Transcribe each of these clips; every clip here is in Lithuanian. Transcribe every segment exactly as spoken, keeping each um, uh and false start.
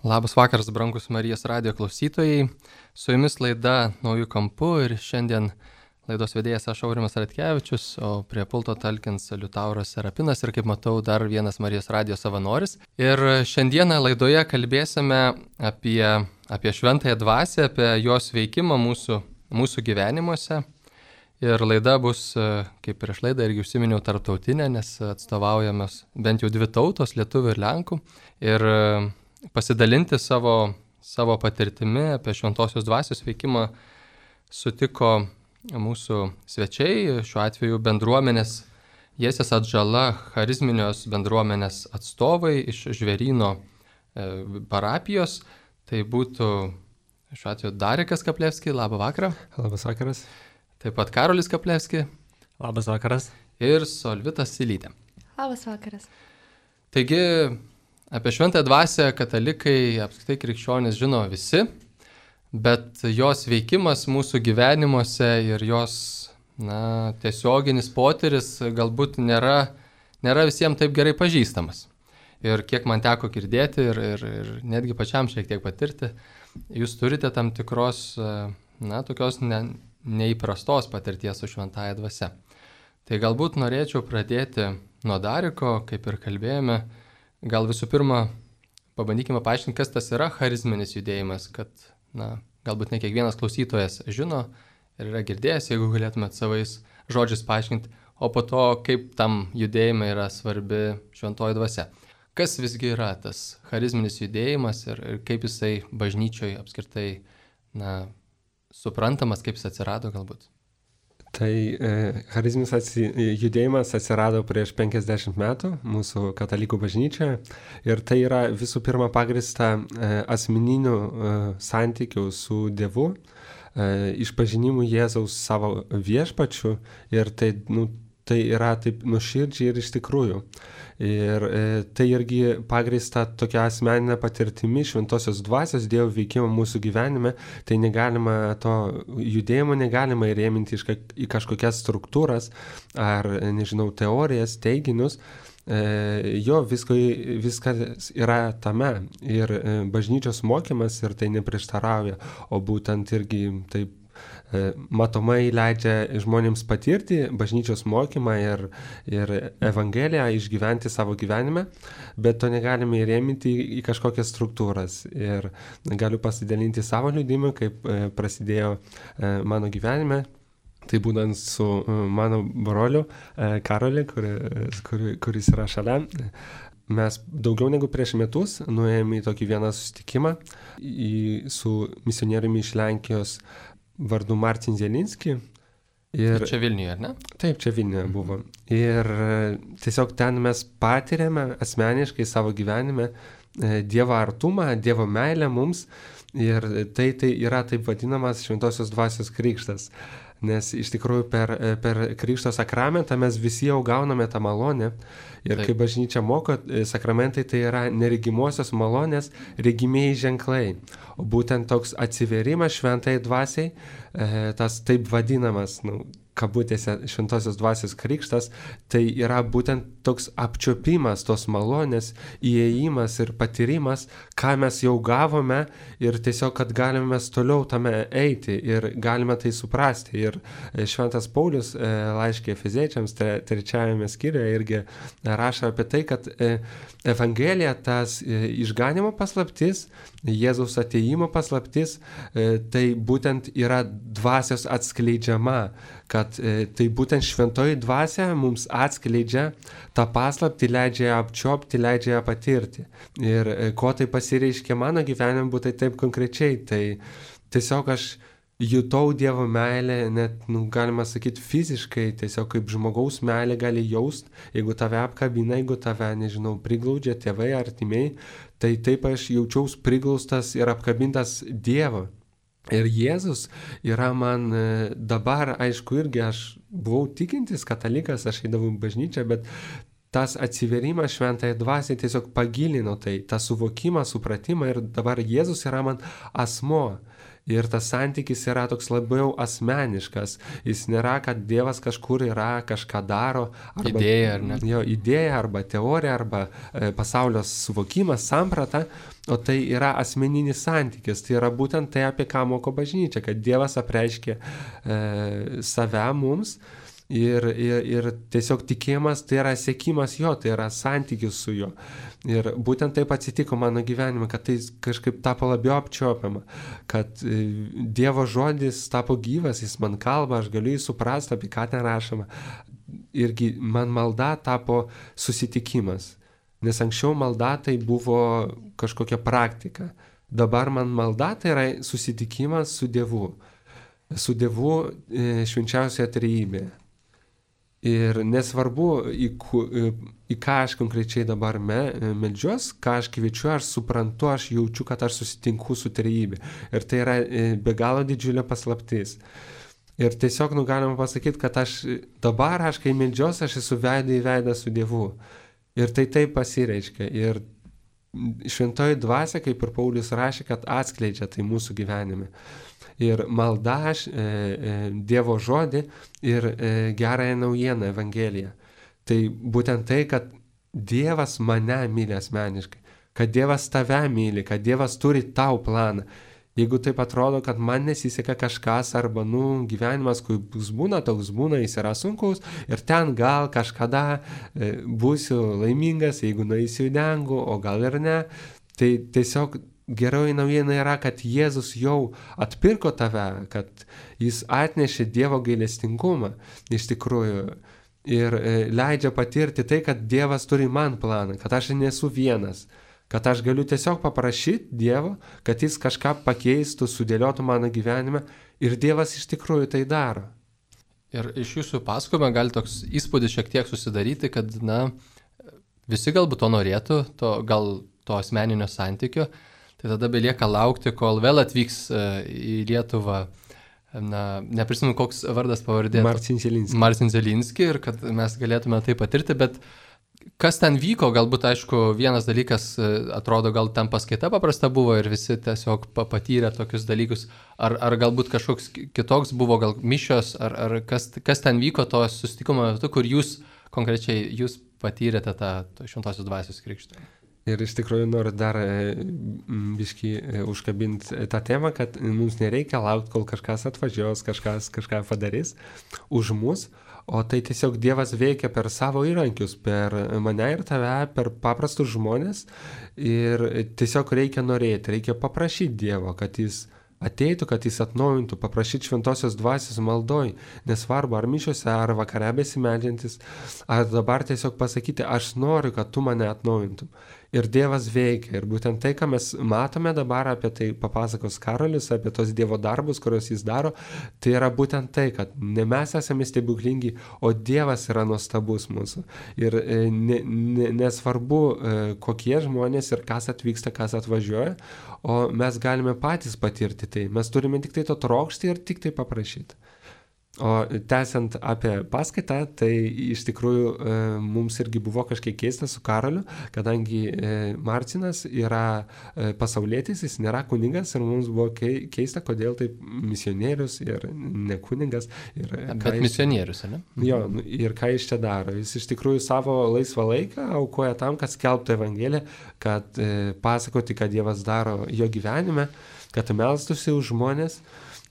Labas vakaras, brangus Marijos radijo klausytojai. Su jumis laida Naujų kampų ir šiandien laidos vedėjas aš Aurimas Ratkevičius, o prie pulto talkins Liutauras Serapinas ir, kaip matau, dar vienas Marijos radijo savanoris. Ir šiandieną laidoje kalbėsime apie, apie šventąją dvasią, apie jos veikimą mūsų, mūsų gyvenimuose. Ir laida bus, kaip prieš laidą irgi užsiminiau, tarptautinė, nes atstovaujamos bent jau dvi tautos, lietuvių ir lenkų. Ir pasidalinti savo, savo patirtimi apie šventosios dvasios veikimą sutiko mūsų svečiai, šiuo atveju bendruomenės Jesės Atžala charizminios bendruomenės atstovai iš Žvėryno e, parapijos. Tai būtų šiuo atveju Darikas Kaplevski, labą vakarą. Labas vakaras. Taip pat Karolis Kaplevski. Labas vakaras. Ir Solvitas Silytė. Labas vakaras. Taigi, apie šventąją dvasią katalikai, apskritai krikščionys žino visi, bet jos veikimas mūsų gyvenimuose ir jos na, tiesioginis potyris galbūt nėra, nėra visiems taip gerai pažįstamas. Ir kiek man teko girdėti ir, ir, ir netgi pačiam šiek tiek patirti, jūs turite tam tikros, na, tokios ne, neįprastos patirties su šventąja dvasia. Tai galbūt norėčiau pradėti nuo Dariko, kaip ir kalbėjome. Gal visų pirma, pabandykime paaiškinti, kas tas yra charizminis judėjimas, kad, na, galbūt ne kiekvienas klausytojas žino ir yra girdėjęs, jeigu galėtumėt savais žodžiais paaiškinti, o po to, kaip tam judėjimai yra svarbi šventoji dvasia. Kas visgi yra tas charizminis judėjimas ir, ir kaip jisai bažnyčioje apskritai, na, suprantamas, kaip jis atsirado galbūt? Tai e, charizminis atsi, judėjimas atsirado prieš penkiasdešimt metų mūsų katalikų bažnyčioje ir tai yra visų pirma pagrįsta e, asmeninių e, santykių su Dievu, e, išpažinimu Jėzaus savo viešpačiu ir tai, nu, tai yra taip nuoširdžiai ir iš tikrųjų. Ir e, tai irgi pagrįsta tokia asmeninė patirtimi šventosios dvasios Dievo veikimo mūsų gyvenime. Tai negalima to judėjimo negalima įrėminti į kažkokias struktūras ar, nežinau, teorijas, teiginius. E, jo, visko, viskas yra tame ir e, bažnyčios mokymas ir tai neprieštarauja, o būtent irgi taip matomai leidžia žmonėms patirti bažnyčios mokymą ir, ir Evangeliją išgyventi savo gyvenime, bet to negalime įrėminti į, į kažkokias struktūras. Ir galiu pasidalinti savo liudijimu, kaip prasidėjo mano gyvenime. Tai būtent su mano broliu Karoliu, kur, kur, kuris yra šalia. Mes daugiau negu prieš metus nuėjome į tokį vieną susitikimą į, su misionieriumi iš Lenkijos vardu Martin Zielinski. Ir čia Vilniuje, ar ne? Taip, čia Vilniuje buvo. Ir tiesiog ten mes patiriame asmeniškai savo gyvenime Dievo artumą, Dievo meilę mums ir tai, tai yra taip vadinamas šventosios dvasios krikštas. Nes iš tikrųjų per, per krikšto sakramentą mes visi jau gauname tą malonę. Ir kaip bažnyčia moko, sakramentai tai yra neregimosios malonės regimieji ženklai. O būtent toks atsiverimas šventai dvasiai, tas taip vadinamas, nu, kabutėse šventosios dvasios krikštas, tai yra būtent toks apčiopimas tos malonės, įėjimas ir patyrimas, ką mes jau gavome ir tiesiog, kad galime mes toliau tame eiti ir galime tai suprasti. Ir šventas Paulius laiške Efeziečiams trečiajame skyriuje irgi rašo apie tai, kad Evangelija, tas išganimo paslaptis, Jėzaus atėjimo paslaptis, tai būtent yra dvasios atskleidžiama, kad e, tai būtent šventoji dvasia mums atskleidžia tą paslaptį, leidžia ją apčiopti, leidžia ją patirti. Ir e, ko tai pasireiškia mano gyvenime, būtų taip konkrečiai, tai tiesiog aš jutau Dievo meilę, net, nu, galima sakyti, fiziškai, tiesiog kaip žmogaus meilė gali jaust, jeigu tave apkabina, jeigu tave, nežinau, priglaudžia tėvai, artimiai, tai taip aš jaučiaus priglaustas ir apkabintas Dievo. Ir Jėzus yra man dabar, aišku, irgi aš buvau tikintis katalikas, aš eidavau į bažnyčią, bet tas atsiverimas šventai dvasiai tiesiog pagilino tai, tą suvokimą, supratimą ir dabar Jėzus yra man asmuo. Ir tas santykis yra toks labiau asmeniškas. Jis nėra, kad Dievas kažkur yra, kažką daro. Arba, idėja, ar ne? Jo, idėja, arba teorija, arba e, pasaulio suvokimas, samprata. O tai yra asmeninis santykis. Tai yra būtent tai, apie ką moko bažnyčia, kad Dievas apreiškė e, save mums. Ir, ir, ir tiesiog tikėjimas tai yra sekimas jo, tai yra santykis su juo. Ir būtent taip atsitiko mano gyvenime, kad tai kažkaip tapo labiau apčiuopiama, kad Dievo žodis tapo gyvas, jis man kalba, aš galiu jį suprasti, apie ką ten rašoma. Irgi man malda tapo susitikimas, nes anksčiau malda tai buvo kažkokia praktika. Dabar man malda tai yra susitikimas su Dievu, su Dievu švenčiausioje trejybėje. Ir nesvarbu, į, į ką aš konkrečiai dabar me, meldžiuos, ką aš kviečiu, aš suprantu, aš jaučiu, kad aš susitinku su trejybė. Ir tai yra be galo didžiulė paslaptis. Ir tiesiog nu, galima pasakyti, kad aš dabar, aš kai meldžiuos, aš esu veidą į veidą su Dievu. Ir tai taip pasireiškia. Ir šventoji dvasia, kaip ir Paulius rašė, kad atskleidžia tai mūsų gyvenime. Ir malda aš, e, e, Dievo žodį ir e, gerąją naujieną, Evangeliją. Tai būtent tai, kad Dievas mane myli asmeniškai, kad Dievas tave myli, kad Dievas turi tau planą. Jeigu taip atrodo, kad man nesiseka kažkas arba, nu, gyvenimas, kuris būna, toks būna, jis yra sunkus ir ten gal kažkada e, būsiu laimingas, jeigu nueisiu į dangų, o gal ir ne, tai tiesiog geroji naujiena yra, kad Jėzus jau atpirko tave, kad jis atnešė Dievo gailestingumą iš tikrųjų ir leidžia patirti tai, kad Dievas turi man planą, kad aš nesu vienas, kad aš galiu tiesiog paprašyti Dievo, kad jis kažką pakeistų, sudėliotų mano gyvenime ir Dievas iš tikrųjų tai daro. Ir iš jūsų pasakojimo gali toks įspūdis šiek tiek susidaryti, kad na, visi galbūt to norėtų, to, gal to asmeninio santykio. Tai tada belieka laukti, kol vėl atvyks į Lietuvą, na, neprisimenu, koks vardas pavardė. Marcin Zielinski. Marcin Zielinski ir kad mes galėtume tai patirti, bet kas ten vyko, galbūt, aišku, vienas dalykas atrodo, gal ten paskaita paprasta buvo ir visi tiesiog patyrė tokius dalykus, ar, ar galbūt kažkoks kitoks buvo, gal mišios, ar, ar kas, kas ten vyko to susitikimo metu, kur jūs konkrečiai jūs patyrėte tą šventosios dvasios krikštą. Ir iš tikrųjų noriu dar biškį užkabinti tą temą, kad mums nereikia laukti, kol kažkas atvažiuos, kažkas kažką padarys už mus, o tai tiesiog Dievas veikia per savo įrankius, per mane ir tave, per paprastus žmonės ir tiesiog reikia norėti, reikia paprašyti Dievo, kad jis ateitų, kad jis atnaujintų, paprašyti šventosios dvasios maldoj, nesvarbu, ar mišiuose, ar vakare besimeldžiantis, ar dabar tiesiog pasakyti, aš noriu, kad tu mane atnaujintum. Ir Dievas veikia. Ir būtent tai, ką mes matome dabar, apie tai papasakos Karolis, apie tos Dievo darbus, kuriuos jis daro, tai yra būtent tai, kad ne mes esame stebuklingi, o Dievas yra nuostabus mūsų. Ir ne, ne, nesvarbu, kokie žmonės ir kas atvyksta, kas atvažiuoja, o mes galime patys patirti tai. Mes turime tik tai to trokšti ir tik tai paprašyti. O tęsiant apie paskaitą, tai iš tikrųjų e, mums irgi buvo kažkiek keista su Karoliu, kadangi e, Marcinas yra e, pasaulietis, jis nėra kunigas ir mums buvo kei, keista, kodėl taip misionierius ir ne kunigas. Ir Bet misionierius, ne? Jo, ir ką jis čia daro. Jis iš tikrųjų savo laisvą laiką aukoja tam, kad skelbtų Evangeliją, kad e, pasakoti, kad Dievas daro jo gyvenime, kad melstųsi už žmonės.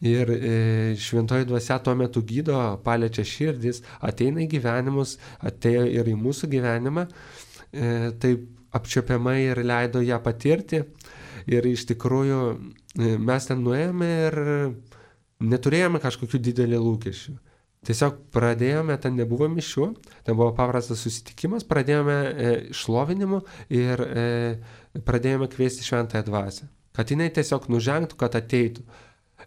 Ir e, šventoji dvasia tuo metu gydo, paliečia širdis, ateina į gyvenimus, atėjo ir į mūsų gyvenimą, e, taip apčiopiamai ir leido ją patirti. Ir iš tikrųjų e, mes ten nuėjome ir neturėjome kažkokių didelių lūkesčių. Tiesiog pradėjome, ten nebuvo mišių, ten buvo paprastas susitikimas, pradėjome e, šlovinimu ir e, pradėjome kviesti šventąją dvasią. Kad jinai tiesiog nužengtų, kad ateitų.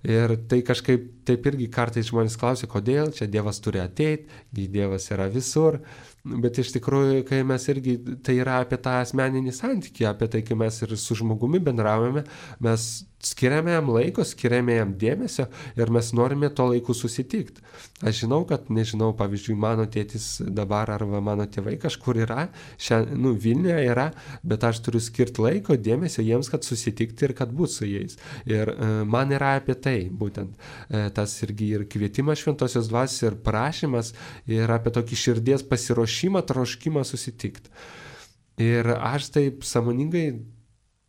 Ir tai kažkaip taip irgi kartais žmonės klausia, kodėl čia Dievas turi ateiti, Dievas yra visur, bet iš tikrųjų, kai mes irgi, tai yra apie tą asmeninį santykį, apie tai, kai mes ir su žmogumi bendraujame, mes skiriame jam laiko, skiriame jam dėmesio ir mes norime to laiku susitikti. Aš žinau, kad, nežinau, pavyzdžiui, mano tėtis dabar arba mano tėvai kažkur yra, šia, nu, Vilniuje yra, bet aš turiu skirti laiko, dėmesio jiems, kad susitikti ir kad būt su jais. Ir e, man yra apie tai, būtent e, tas irgi ir kvietimas šventosios dvasios ir prašymas ir apie tokį širdies pasiruošimą, troškimą susitikti. Ir aš taip sąmoningai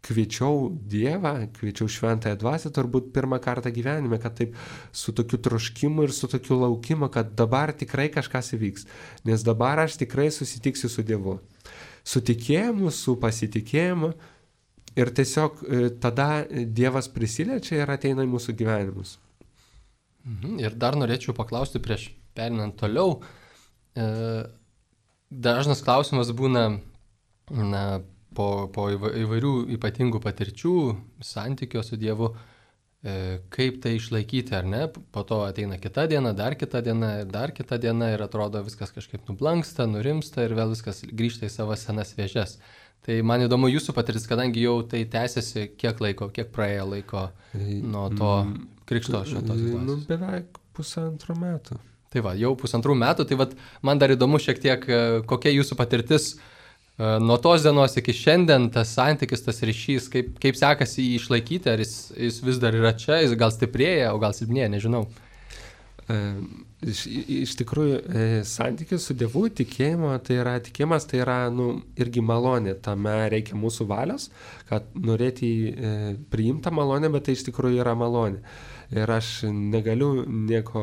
kviečiau Dievą, kviečiau šventąją dvasią turbūt pirmą kartą gyvenime, kad taip su tokiu troškimu ir su tokiu laukimu, kad dabar tikrai kažkas įvyks, nes dabar aš tikrai susitiksiu su Dievu. Su tikėjimu, su pasitikėjimu ir tiesiog tada Dievas prisiliečia ir ateina į mūsų gyvenimus. Mhm. Ir dar norėčiau paklausti prieš perinant toliau. E, dažnas klausimas būna, na, po, po įvairių ypatingų patirčių, santykio su Dievu, e, kaip tai išlaikyti, ar ne? Po to ateina kita diena, dar kita diena ir dar kita diena ir atrodo viskas kažkaip nublanksta, nurimsta ir vėl viskas grįžta į savo senas vėžes. Tai man įdomu jūsų patirtis, kadangi jau tai tęsiasi kiek laiko, kiek praėjo laiko nuo to krikšto šventosios dvasios? Nu, beveik pusantrų metų. Tai va, jau pusantrų metų, tai va, man dar įdomu šiek tiek, kokia jūsų patirtis nuo tos dienos iki šiandien, tas santykis, tas ryšys, kaip, kaip sekasi jį išlaikyti, ar jis, jis vis dar yra čia, jis gal stiprėja, o gal silpnėja, nežinau. E, iš, iš tikrųjų, e, santykis su Dievu, tikėjimo, tai yra, tikėjimas tai yra, nu, irgi malonė, tame reikia mūsų valios, kad norėti e, priimti malonę, bet tai iš tikrųjų yra malonė. Ir aš negaliu nieko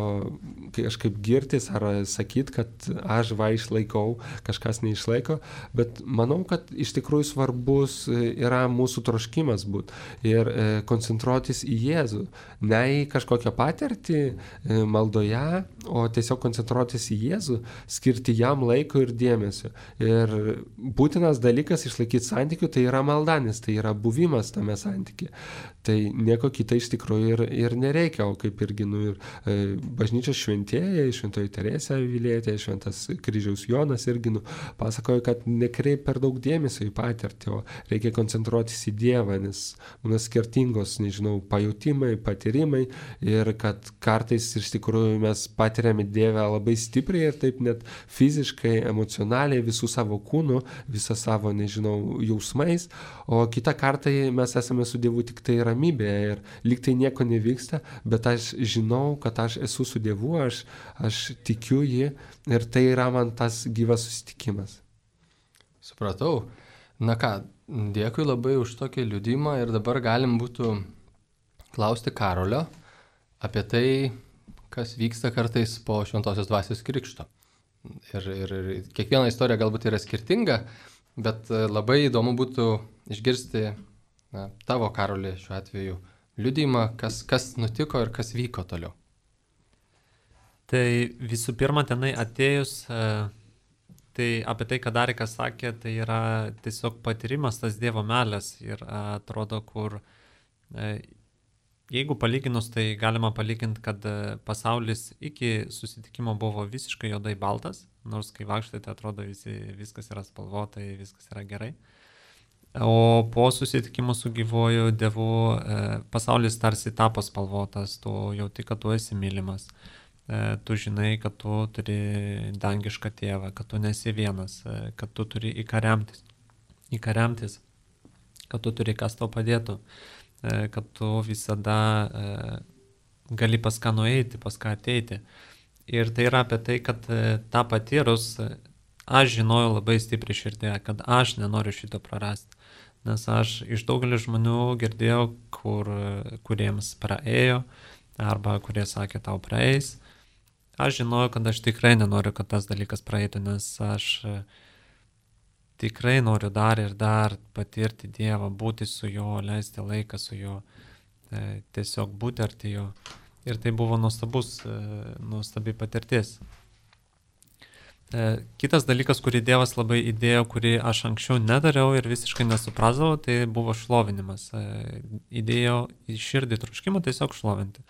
kažkaip girtis ar sakyti, kad aš va išlaikau, kažkas neišlaiko, bet manau, kad iš tikrųjų svarbus yra mūsų troškimas būt ir e, koncentruotis į Jėzų. Ne į kažkokią patirtį e, maldoje, o tiesiog koncentruotis į Jėzų, skirti jam laiko ir dėmesio. Ir būtinas dalykas išlaikyti santykių, tai yra malda, nes tai yra buvimas tame santykyje. Tai nieko kita iš tikrųjų ir, ir nereikia, o kaip irgi nu, ir, e, bažnyčios šventėjai, šventoji Teresė Avilietė, šventas Kryžiaus Jonas irgi nu, pasakojo, kad nekreip per daug dėmesio į patirtį, o reikia koncentruotis į Dievą, nes būna skirtingos, nežinau, pajutimai, patyrimai ir kad kartais iš tikrųjų mes patiriame Dievą labai stipriai ir taip net fiziškai, emocionaliai, visų savo kūnų, visą savo, nežinau, jausmais, o kitą kartą mes esame su Dievu tik tai ramybėje ir lyg tai nieko nevyksta, bet aš žinau, kad aš esu su Dievu, aš, aš tikiu jį ir tai yra man tas gyvas susitikimas. Supratau. Na ką, dėkui labai už tokį liudymą ir dabar galim būtų klausti Karolio apie tai, kas vyksta kartais po šventosios dvasios krikšto. Ir, ir, ir kiekviena istorija galbūt yra skirtinga, bet labai įdomu būtų išgirsti na, tavo, Karoli, šiuo atveju liudijimą, kas, kas nutiko ir kas vyko toliau. Tai visų pirma, tenai atėjus, tai apie tai, ką Darikas sakė, tai yra tiesiog patyrimas tas Dievo meilės ir atrodo, kur jeigu palyginus, tai galima palyginti, kad pasaulis iki susitikimo buvo visiškai juodai baltas, nors kai vaikštate, atrodo visi, viskas yra spalvotai, viskas yra gerai. O po susitikimo su gyvuoju Dievu pasaulis tarsi tapo spalvotas, tu jauti, kad tu esi mylimas, tu žinai, kad tu turi dangišką tėvą, kad tu nesi vienas, kad tu turi į ką remtis, į ką remtis, kad tu turi kas tau padėtų, kad tu visada gali pas ką nueiti, pas ką ateiti. Ir tai yra apie tai, kad tą patyrus aš žinojau labai stipriai širdėje, kad aš nenoriu šito prarasti. Nes aš iš daugelio žmonių girdėjau, kur, kuriems praėjo, arba kurie sakė, tau praeis. Aš žinojau, kad aš tikrai nenoriu, kad tas dalykas praeitų, nes aš tikrai noriu dar ir dar patirti Dievą, būti su juo, leisti laiką su juo, tiesiog būti arti jo. Ir tai buvo nuostabus, nuostabi patirtis. Kitas dalykas, kurį Dievas labai įdėjo, kurį aš anksčiau nedariau ir visiškai nesuprasdavau, tai buvo šlovinimas. Įdėjo į širdį troškimą tiesiog šlovinti.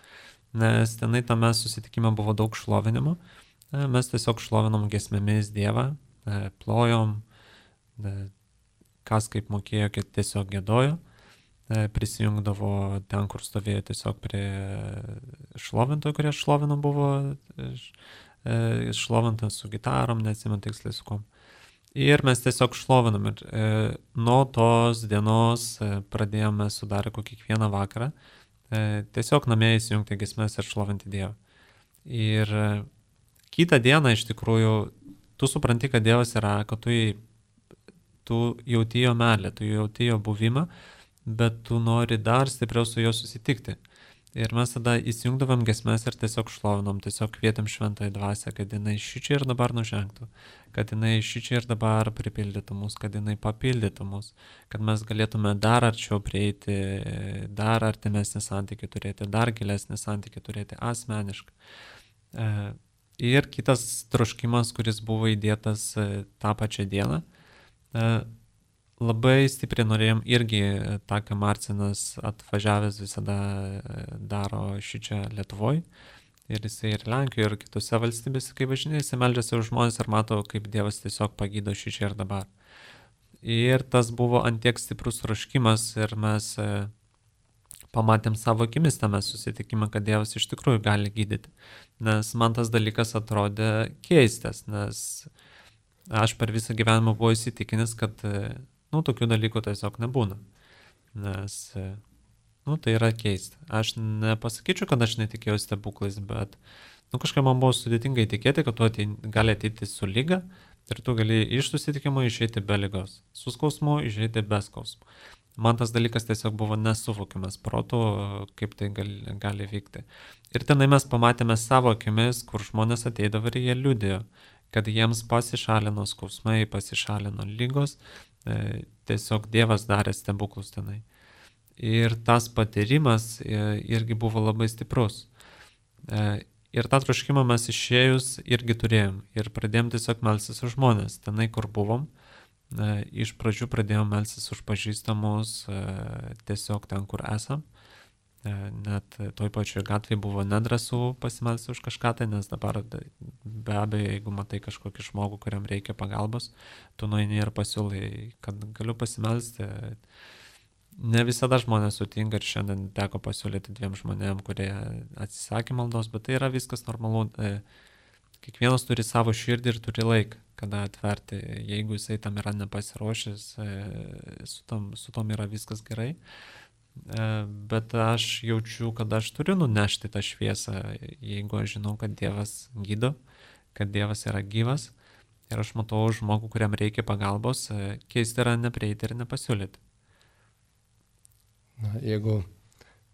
Nes tenai tame susitikime buvo daug šlovinimo. Mes tiesiog šlovinom giesmėmis Dievą, plojom, kas kaip mokėjo, kad tiesiog gėdojo. prisijungdavo ten, kur stovėjo tiesiog prie šlovintojų, kurie šlovino buvo šlovintas su gitarom, neatsimenu tiksliai su kom. Ir mes tiesiog šlovinam ir e, nuo tos dienos e, pradėjome sudarę kokį kiekvieną vakarą e, tiesiog namie įsijungti giesmes ir šlovinti Dievą. Ir e, kitą dieną iš tikrųjų tu supranti, kad Dievas yra, kad tu, tu jauti jo meilę, tu jauti jo buvimą, bet tu nori dar stipriau su juo susitikti. Ir mes tada įsijungdavom giesmes ir tiesiog šlovinom, tiesiog kvietėm šventąją dvasią, kad jinai šičia ir dabar nužengtų, kad jinai šičia ir dabar pripildytų mus, kad jinai papildytų mus, kad mes galėtume dar arčiau prieiti, dar artimesnį santykį turėti, dar gilesnį santykį turėti asmeniškai. Ir kitas troškimas, kuris buvo įdėtas tą pačią dieną, labai stipriai norėjom irgi tą, ką Marcinas atvažiavęs visada daro šičia Lietuvoje. Ir jisai ir Lenkijoje, ir kitose valstybėse, kai važinėja, jisai meldžiasi už žmonės ir mato, kaip Dievas tiesiog pagydo šičia ir dabar. Ir tas buvo antiek stiprus troškimas ir mes pamatėm savo akimis tame susitikimą, kad Dievas iš tikrųjų gali gydyti. Nes man tas dalykas atrodė keistas, nes aš per visą gyvenimą buvau įsitikinęs, kad nu, tokių dalykų tiesiog nebūna, nes, nu, tai yra keista. Aš nepasakyčiau, kad aš netikėjau stebuklais, bet, nu, kažkaip man buvo sudėtingai tikėti, kad tu atei, gali ateiti su lyga ir tu gali iš susitikimo išeiti be lygos, su skausmu išeiti be skausmu. Man tas dalykas tiesiog buvo nesuvokiamas protu, kaip tai gali, gali vykti. Ir tenai mes pamatėme savo akimis, kur žmonės ateidavo ir jie liudėjo, kad jiems pasišalino skausmai, pasišalino lygos, tiesiog Dievas darė stebuklus tenai. Ir tas patyrimas irgi buvo labai stiprus. Ir tą troškimą mes išėjus irgi turėjom. Ir pradėjom tiesiog melstis už žmonės. Tenai, kur buvom, iš pradžių pradėjom melstis už pažįstamus tiesiog ten, kur esam. Net toj pačioj gatvėje buvo nedrasų pasimelsti už kažką tai, nes dabar be abejo, jeigu matai kažkokį žmogų, kuriam reikia pagalbos, tu nueini ir pasiūlai, kad galiu pasimelsti. Ne visada žmonės sutinka ir šiandien teko pasiūlyti dviem žmonėm, kurie atsisakė maldos, bet tai yra viskas normalu. Kiekvienas turi savo širdį ir turi laiką, kada atverti. Jeigu jisai tam yra nepasiruošęs, su tom, su tom yra viskas gerai. Bet aš jaučiu, kad aš turiu nunešti tą šviesą, jeigu aš žinau, kad Dievas gydo, kad Dievas yra gyvas ir aš matau žmogų, kuriam reikia pagalbos, keisti yra neprieiti ir nepasiūlyti. Na, jeigu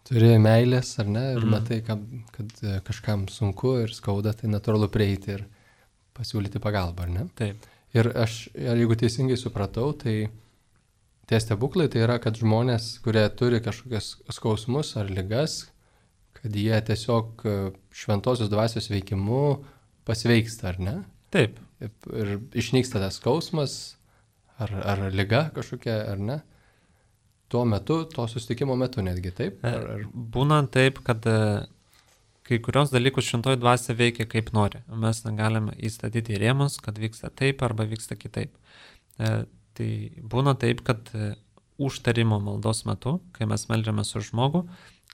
turi meilės ar ne, ir mm. matai, kad, kad kažkam sunku ir skauda, tai natūralu prieiti ir pasiūlyti pagalbą, ar ne? Taip. Ir aš, jeigu teisingai supratau, tai tie stebuklai tai yra, kad žmonės, kurie turi kažkokias skausmus ar ligas, kad jie tiesiog šventosios dvasios veikimu pasveiksta, ar ne? Taip. Ir išnyksta tas skausmas ar, ar liga kažkokia, ar ne? Tuo metu, to susitikimo metu netgi, taip? Ar, ar... Būna taip, kad kai kurios dalykus šventoji dvasia veikia kaip nori. Mes negalime įstatyti į rėmus, kad vyksta taip arba vyksta kitaip. Tai būna taip, kad užtarimo maldos metu, kai mes meldžiame su žmogu,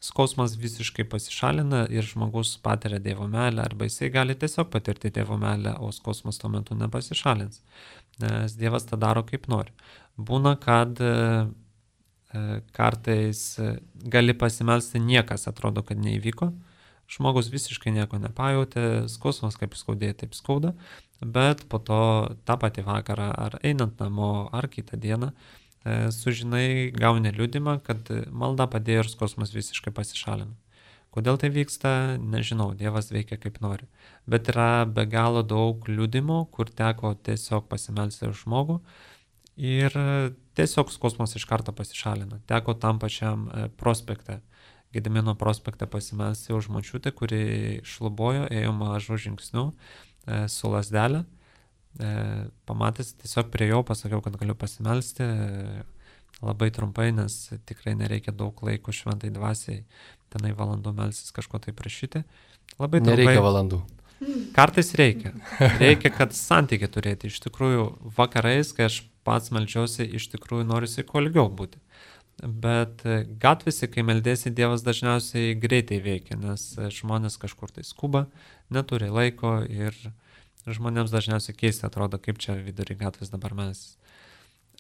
skausmas visiškai pasišalina ir žmogus patiria Dievo meilę, arba jisai gali tiesiog patirti Dievo meilę, o skausmas tuo metu nepasišalins, nes Dievas tą daro kaip nori. Būna, kad kartais gali pasimelsti, niekas atrodo, kad neįvyko, žmogus visiškai nieko nepajautė, skausmas kaip skaudėjo, taip skauda, bet po to tą patį vakarą ar einant namo ar kitą dieną e, sužinai, gauni liudimą, kad malda padėjo ir skausmas visiškai pasišalino. Kodėl tai vyksta, nežinau, Dievas veikia kaip nori. Bet yra be galo daug liudimų, kur teko tiesiog pasimelsti už žmogų ir tiesiog skausmas iš karto pasišalina. Teko tam pačiam e, prospekte. Gedimino prospekte pasimelsti už močiutę, kuri šlubojo, ėjo mažų žingsnių e, su lazdelė. E, pamatęs, tiesiog prie jo pasakiau, kad galiu pasimelsti e, labai trumpai, nes tikrai nereikia daug laiko šventai dvasiai tenai valandų melsis kažko tai prašyti. Labai trumpai. Nereikia valandų. Kartais reikia. Reikia, kad santykį turėti. Iš tikrųjų, vakarais, kai aš pats meldžiausi, iš tikrųjų norisi kuo ilgiau būti. bet gatvėse, kai meldėsi, Dievas dažniausiai greitai veikia, nes žmonės kažkur tai skuba, neturi laiko ir žmonėms dažniausiai keista atrodo, kaip čia vidury gatvės dabar mes.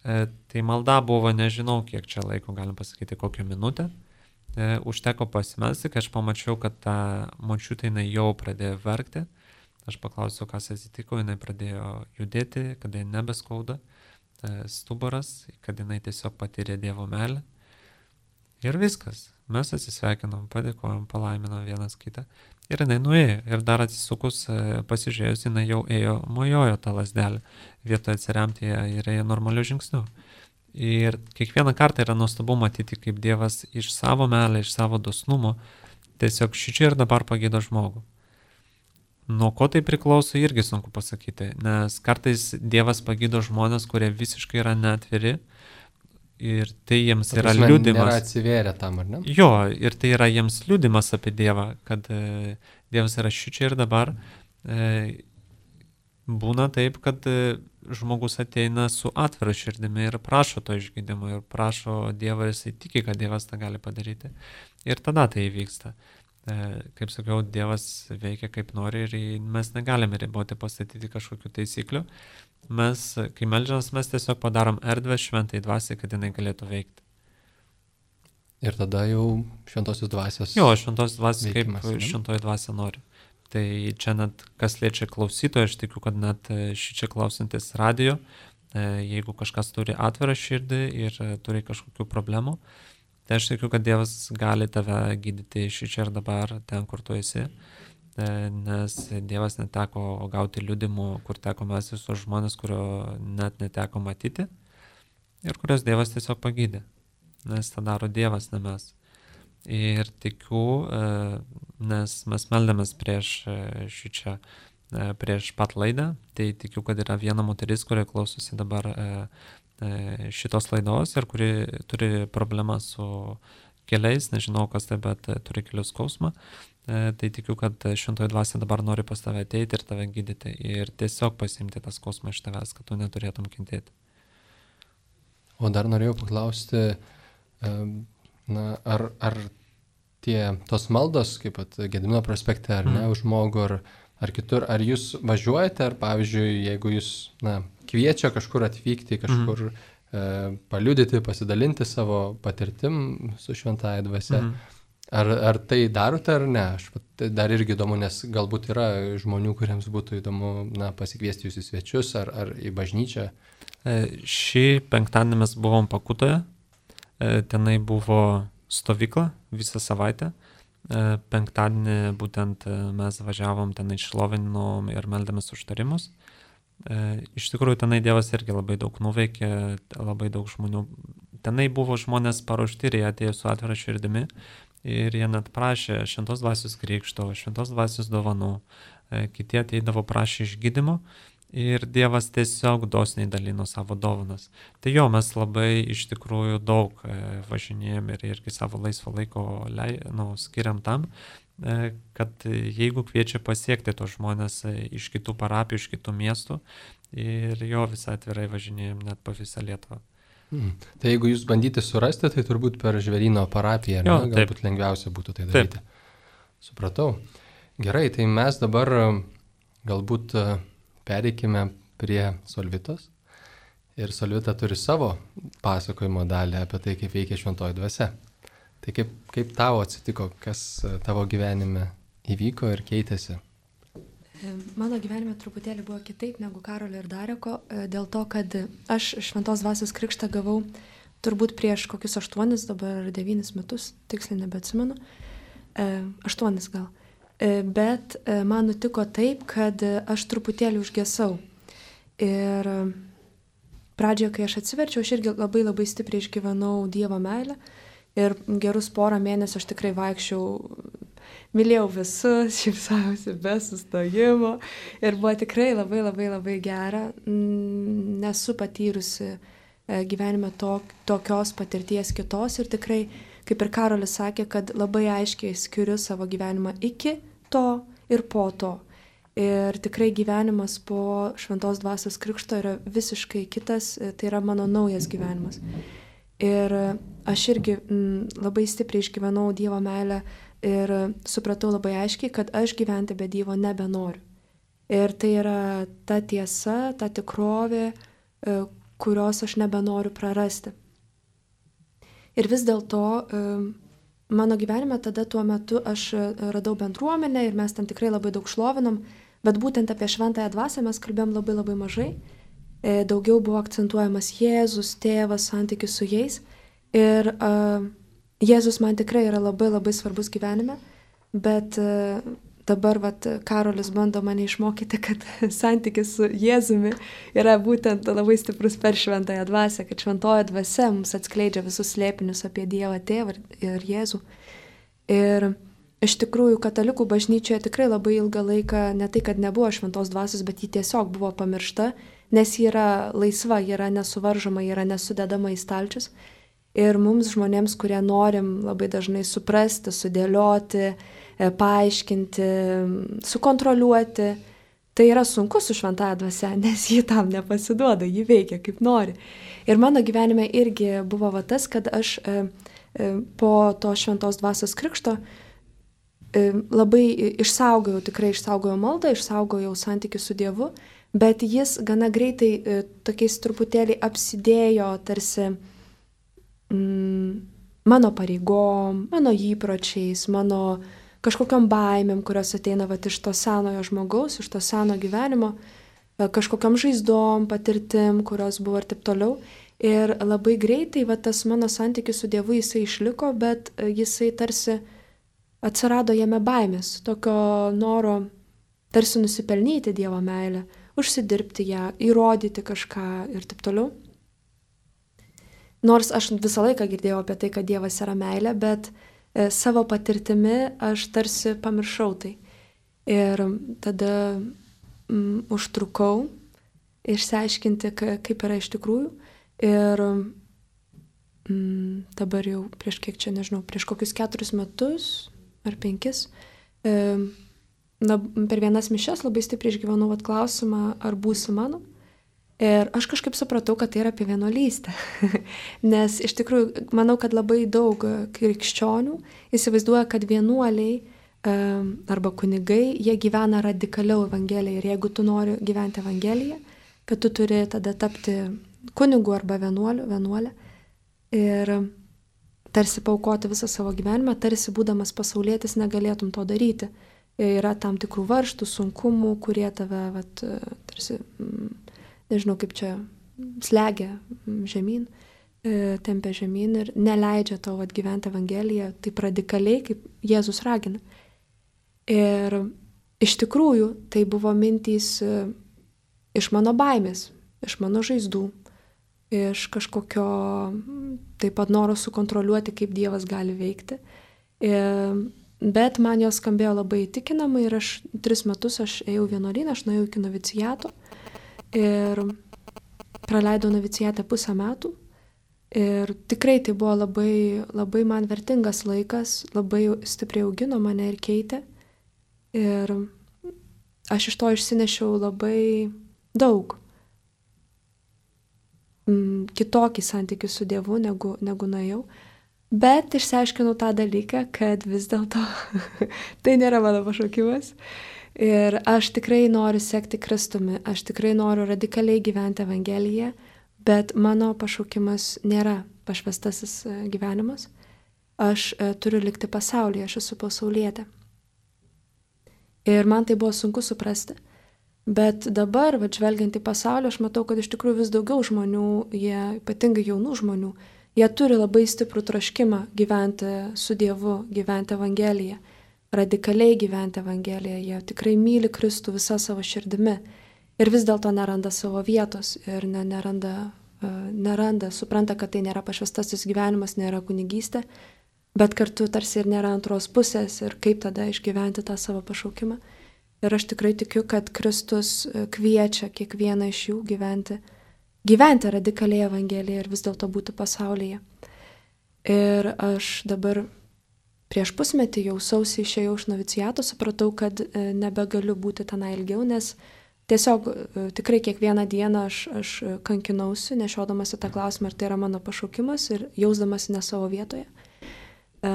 E, tai malda buvo, nežinau, kiek čia laiko, galim pasakyti, kokią minutę. E, užteko pasimelsti, kai aš pamačiau, kad ta močiutė jinai jau pradėjo verkti. Aš paklausiau, kas atsitiko, jinai pradėjo judėti, kad jinai nebeskauda stuburas, kad jinai tiesiog patyrė Dievo meilę. Ir viskas. Mes atsisveikinom, padėkojom, palaiminam vienas kitą. Ir jinai nuėjo. Ir dar atsisukus, pasižiūrėjus, jinai jau ėjo, mojojo tą lasdelę. Vietoje atsiremti ir ėjo normaliu žingsniu. Ir kiekvieną kartą yra nuostabu matyti, kaip Dievas iš savo meilę, iš savo dosnumo tiesiog šičia ir dabar pagydo žmogų. Nuo ko tai priklauso, irgi sunku pasakyti, nes kartais Dievas pagydo žmonės, kurie visiškai yra neatviri ir tai jiems yra liudimas. Nėra atsivėrę tam, ar ne? Jo, ir tai yra jiems liudimas apie Dievą, kad e, Dievas yra šičia ir dabar. E, būna taip, kad e, žmogus ateina su atvira širdimi ir prašo to išgydymo ir prašo Dievą ir jisai tiki, kad Dievas tą gali padaryti. Ir tada tai įvyksta. Kaip sakiau, Dievas veikia kaip nori ir mes negalime riboti, pastatyti kažkokių taisyklių. Mes, kai meldžiamės, mes tiesiog padarom erdvę šventai dvasiai, kad jinai galėtų veikti. Ir tada jau šventosios dvasios. Jo, šventosios dvasios kaip veikimas, šventoji dvasia nori. Tai čia net, kas liečia klausytoją, aš tikiu, kad net šičia klausantis radio, jeigu kažkas turi atvirą širdį ir turi kažkokių problemų, tai aš tikiu, kad Dievas gali tave gydyti šičia ir dabar ten, kur tu esi, nes Dievas neteko gauti liudimų, kur teko mes visus žmonės, kurio net neteko matyti ir kurios Dievas tiesiog pagydė, nes tą daro Dievas, ne mes. Ir tikiu, nes mes meldėmės prieš šičia, prieš pat laidą, tai tikiu, kad yra viena moteris, kurie klausosi dabar šitos laidos ir kuri turi problemą su keliais, nežinau kas tai, bet turi kelių skausmą, tai tikiu, kad šventoji dvasia dabar nori pas tave ateiti ir tave gydyti ir tiesiog pasiimti tą skausmą iš tavęs, kad tu neturėtum kentėti. O dar norėjau paklausti, na, ar, ar tie tos maldos, kaip pat Gedimino prospekte, ar ne, mm. už žmogų, ar, ar kitur, ar jūs važiuojate, ar pavyzdžiui, jeigu jūs, na, kviečia kažkur atvykti, kažkur mm. e, paliudyti, pasidalinti savo patirtim su šventąja dvasia. Mm. Ar, ar tai darote ar ne? Aš tai dar irgi įdomu, nes galbūt yra žmonių, kuriems būtų įdomu, na, pasikviesti jūs į svečius ar, ar į bažnyčią. E, šį penktadienį mes buvom Pakutoje, e, tenai buvo stovykla visą savaitę. E, penktadienį būtent mes važiavom, tenai šlovinom ir meldėmės užtarimus. E, iš tikrųjų, tenai Dievas irgi labai daug nuveikė, labai daug žmonių. Tenai buvo žmonės paruošti ir jie atėjo su atvira širdimi ir jie net prašė šventos dvasios krikšto, šventos dvasios dovanų. E, kiti ateidavo prašė išgydymo ir Dievas tiesiog dosniai dalino savo dovanas. Tai jo, mes labai iš tikrųjų daug e, važinėjom ir irgi savo laisvo laiko lei, nu, skiriam tam, kad jeigu kviečia pasiekti tos žmonės iš kitų parapijų, iš kitų miestų ir jo visą atvirai važinėjom net po visą Lietuvą. Hmm. Tai jeigu jūs bandyti surasti, tai turbūt per Žvėryno parapiją, jo, ne? Galbūt taip. Lengviausia būtų tai daryti. Taip. Supratau. Gerai, tai mes dabar galbūt pereikime prie Solvitos. Ir Solvita turi savo pasakojimo dalį apie tai, kaip veikia šventoji dvasia. Tai kaip, kaip tavo atsitiko, kas tavo gyvenime įvyko ir keitėsi? Mano gyvenime truputėlį buvo kitaip negu Karolio ir Dareko, dėl to, kad aš šventos dvasios krikštą gavau turbūt prieš kokius aštuonis, dabar devynis metus, tiksliai nebeatsimenu, aštuonis gal. Bet man nutiko taip, kad aš truputėlį užgesau. Ir pradžioje, kai aš atsiverčiau, aš irgi labai labai stipriai išgyvenau Dievo meilę. Ir gerus porą mėnesių aš tikrai vaikščiau, mylėjau visus, šypsausi be sustojimo. Ir buvo tikrai labai labai labai gera. Nesu patyrusi gyvenime to, tokios patirties kitos. Ir tikrai, kaip ir Karolis sakė, kad labai aiškiai skiriu savo gyvenimą iki to ir po to. Ir tikrai gyvenimas po šventos dvasios krikšto yra visiškai kitas. Tai yra mano naujas gyvenimas. Ir aš irgi m, labai stipriai išgyvenau Dievo meilę ir supratau labai aiškiai, kad aš gyventi be Dievo nebenoriu. Ir tai yra ta tiesa, ta tikrovė, kurios aš nebenoriu prarasti. Ir vis dėlto mano gyvenime tada tuo metu aš radau bendruomenę ir mes ten tikrai labai daug šlovinom, bet būtent apie šventąją dvasią mes kalbėjom labai labai mažai. Daugiau buvo akcentuojamas Jėzus, tėvas, santykis su jais. Ir uh, Jėzus man tikrai yra labai labai svarbus gyvenime, bet uh, dabar vat, Karolis bando mane išmokyti, kad santykis su Jėzumi yra būtent labai stiprus per šventąją dvasią, kad šventoji dvasia mums atskleidžia visus slėpinius apie Dievą tėvą ir Jėzų. Ir iš tikrųjų katalikų bažnyčioje tikrai labai ilgą laiką ne tai, kad nebuvo šventos dvasios, bet ji tiesiog buvo pamiršta, nes ji yra laisva, ji yra nesuvaržoma, ji yra nesudedama į stalčius. Ir mums žmonėms, kurie norim labai dažnai suprasti, sudėlioti, paaiškinti, sukontroliuoti, tai yra sunku su šventąja dvasia, nes ji tam nepasiduoda, ji veikia kaip nori. Ir mano gyvenime irgi buvo va tas, kad aš e, e, po to šventos dvasios krikšto e, labai išsaugojau, tikrai išsaugojau maldą, išsaugojau santykių su Dievu, bet jis gana greitai e, tokiais truputėlį apsidėjo tarsi mm, mano pareigom, mano įpročiais, mano kažkokiam baimėm, kurios ateina vat, iš to senojo žmogaus, iš to seno gyvenimo, kažkokiam žaizdom, patirtim, kurios buvo ir taip toliau. Ir labai greitai vat, tas mano santykis su Dievu jisai išliko, bet jisai tarsi atsirado jame baimės, tokio noro tarsi nusipelnyti Dievo meilę, užsidirbti ją, įrodyti kažką ir taip toliau. Nors aš visą laiką girdėjau apie tai, kad Dievas yra meilė, bet savo patirtimi aš tarsi pamiršau tai. Ir tada mm, užtrukau išsiaiškinti, kaip yra iš tikrųjų. Ir mm, dabar jau prieš kiek čia, nežinau, prieš kokius keturis metus ar penkis, e, na, per vienas mišias labai stipriai išgyvenau vat klausimą, ar būsi mano. Ir aš kažkaip supratau, kad tai yra apie vienuolystę. Nes iš tikrųjų, manau, kad labai daug krikščionių įsivaizduoja, kad vienuoliai arba kunigai, jie gyvena radikaliau Evangeliją. Ir jeigu tu nori gyventi Evangeliją, kad tu turi tada tapti kunigu arba vienuoliu, vienuolė. Ir tarsi paaukoti visą savo gyvenimą, tarsi būdamas pasaulietis negalėtum to daryti. Yra tam tikrų varžtų, sunkumų, kurie tave, vat, tarsi... nežinau kaip čia, slegia žemyn, tempia žemyn ir neleidžia tau atgyventi Evangeliją taip radikaliai, kaip Jėzus ragina. Ir iš tikrųjų tai buvo mintys iš mano baimės, iš mano žaizdų, iš kažkokio taip pat noro sukontroliuoti, kaip Dievas gali veikti. Bet man jos skambėjo labai įtikinamai ir aš tris metus aš ėjau vienuolyną, aš nuėjau iki noviciato. Ir praleidau novicijate pusę metų ir tikrai tai buvo labai, labai man vertingas laikas, labai stipriai augino mane ir keitė. Ir aš iš to išsinešiau labai daug kitokį santykį su Dievu, negu, negu nuėjau. Bet išsiaiškinau tą dalyką, kad vis dėlto tai nėra mano pašaukimas. Ir aš tikrai noriu sekti Kristumi, aš tikrai noriu radikaliai gyventi Evangeliją, bet mano pašaukimas nėra pašvestasis gyvenimas. Aš turiu likti pasaulyje, aš esu pasaulietė. Ir man tai buvo sunku suprasti. Bet dabar, va, žvelgiant į pasaulį, aš matau, kad iš tikrųjų vis daugiau žmonių, jie, ypatingai jaunų žmonių, jie turi labai stiprų troškimą gyventi su Dievu, gyventi Evangeliją. Radikaliai gyventi Evangeliją, jie tikrai myli Kristų visą savo širdimi ir vis dėlto neranda savo vietos ir ne, neranda, uh, neranda, supranta, kad tai nėra pašvestasis gyvenimas, nėra kunigystė, bet kartu tarsi ir nėra antros pusės ir kaip tada išgyventi tą savo pašaukimą. Ir aš tikrai tikiu, kad Kristus kviečia kiekvieną iš jų gyventi, gyventi radikaliai Evangeliją ir vis dėlto būti pasaulyje. Ir aš dabar prieš pusmetį jau sausį išėjau iš noviciato, supratau, kad nebegaliu būti tenai ilgiau, nes tiesiog tikrai kiekvieną dieną aš, aš kankinausi, nešiodamasi tą klausimą, ar tai yra mano pašaukimas ir jausdamasi ne savo vietoje.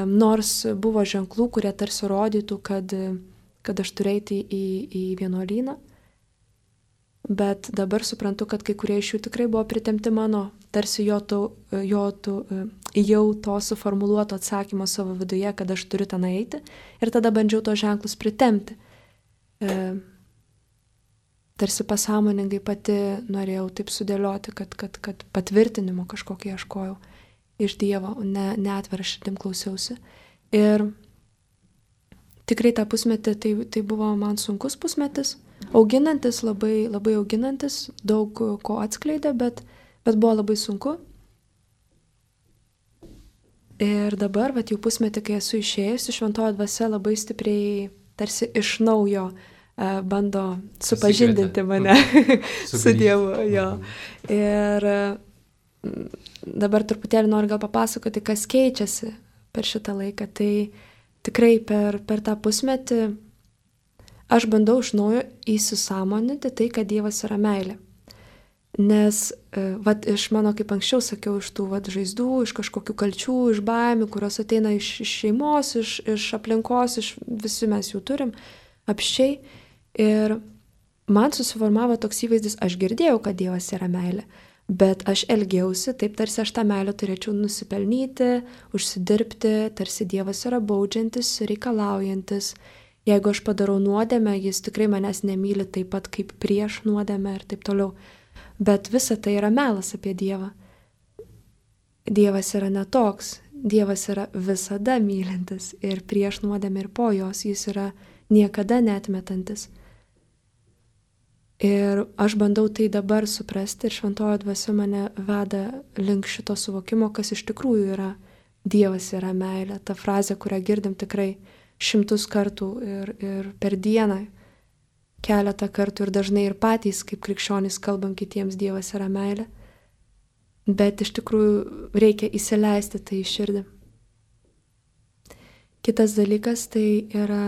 Nors buvo ženklų, kurie tarsi rodytų, kad, kad aš turiu eiti į, į vienuolyną, bet dabar suprantu, kad kai kurie iš jų tikrai buvo pritemti mano, tarsi jo, to, jo to, jau to suformuluoto atsakymo savo viduje, kad aš turiu ten eiti, ir tada bandžiau to ženklus pritemti. E, tarsi pasąmoningai pati norėjau taip sudėlioti, kad, kad, kad patvirtinimo kažkokį ieškojau iš Dievo, ne, ne atvira širdim klausiausi. Ir tikrai tą pusmetį tai, tai buvo man sunkus pusmetis, auginantis, labai, labai auginantis, daug ko atskleidė, bet, bet buvo labai sunku. Ir dabar, vat, jau pusmetį, kai esu išėjusi, šventoji dvasia labai stipriai tarsi iš naujo uh, bando supažindinti mane su Dievu. Jo. Ir uh, dabar truputėlį noriu gal papasakoti, kas keičiasi per šitą laiką. Tai tikrai per, per tą pusmetį aš bandau iš naujo įsisąmoninti tai, kad Dievas yra meilė. Nes, vat, iš mano, kaip anksčiau sakiau, iš tų vat, žaizdų, iš kažkokių kalčių, iš baimių, kurios ateina iš, iš šeimos, iš, iš aplinkos, iš, visi mes jų turim, apščiai. Ir man susiformavo toks įvaizdis, aš girdėjau, kad Dievas yra meilė, bet aš elgiausi taip, tarsi aš tą meilę turėčiau nusipelnyti, užsidirbti, tarsi Dievas yra baudžiantis, reikalaujantis. Jeigu aš padarau nuodėmę, jis tikrai manęs nemyli taip pat kaip prieš nuodėmę ir taip toliau. Bet visa tai yra melas apie Dievą. Dievas yra netoks. Dievas yra visada mylintis ir prieš nuodėmę ir po jos. Jis yra niekada neatmetantis. Ir aš bandau tai dabar suprasti ir šventoji dvasia mane veda link šito suvokimo, kas iš tikrųjų yra Dievas yra meilė. Ta frazė, kurią girdim tikrai šimtus kartų ir, ir per dieną, keletą kartų ir dažnai ir patys, kaip krikščionys, kalbam kitiems, Dievas yra meilė. Bet iš tikrųjų reikia įsileisti tai į širdį. Kitas dalykas tai yra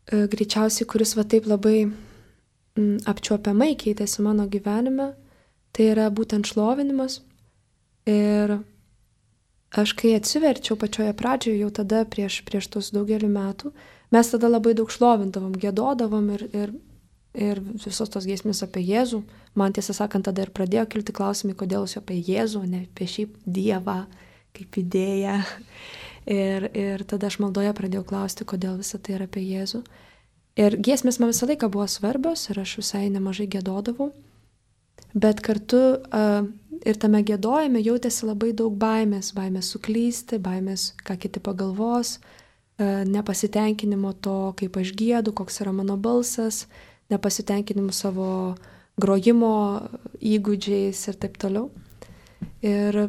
e, greičiausiai, kuris va taip labai m, apčiuopiamai keitėsi mano gyvenime, tai yra būtent šlovinimas. Ir aš kai atsiverčiau pačioje pradžioje, jau tada prieš, prieš tos daugelį metų, mes tada labai daug šlovindavom, gėdodavom ir, ir, ir visos tos giesmės apie Jėzų. Man tiesą sakant, tada ir pradėjo kilti klausimai, kodėl jūs apie Jėzų, ne apie šiaip Dievą, kaip idėją. Ir, ir tada aš maldoje pradėjau klausti, kodėl visą tai yra apie Jėzų. Ir giesmės man visą laiką buvo svarbios ir aš visai nemažai gėdodavau. Bet kartu uh, ir tame gėdojime jautėsi labai daug baimės, baimės suklysti, baimės, ką kiti pagalvos, uh, nepasitenkinimo to, kaip aš gėdu, koks yra mano balsas, nepasitenkinimo savo grojimo įgūdžiais ir taip toliau. Ir,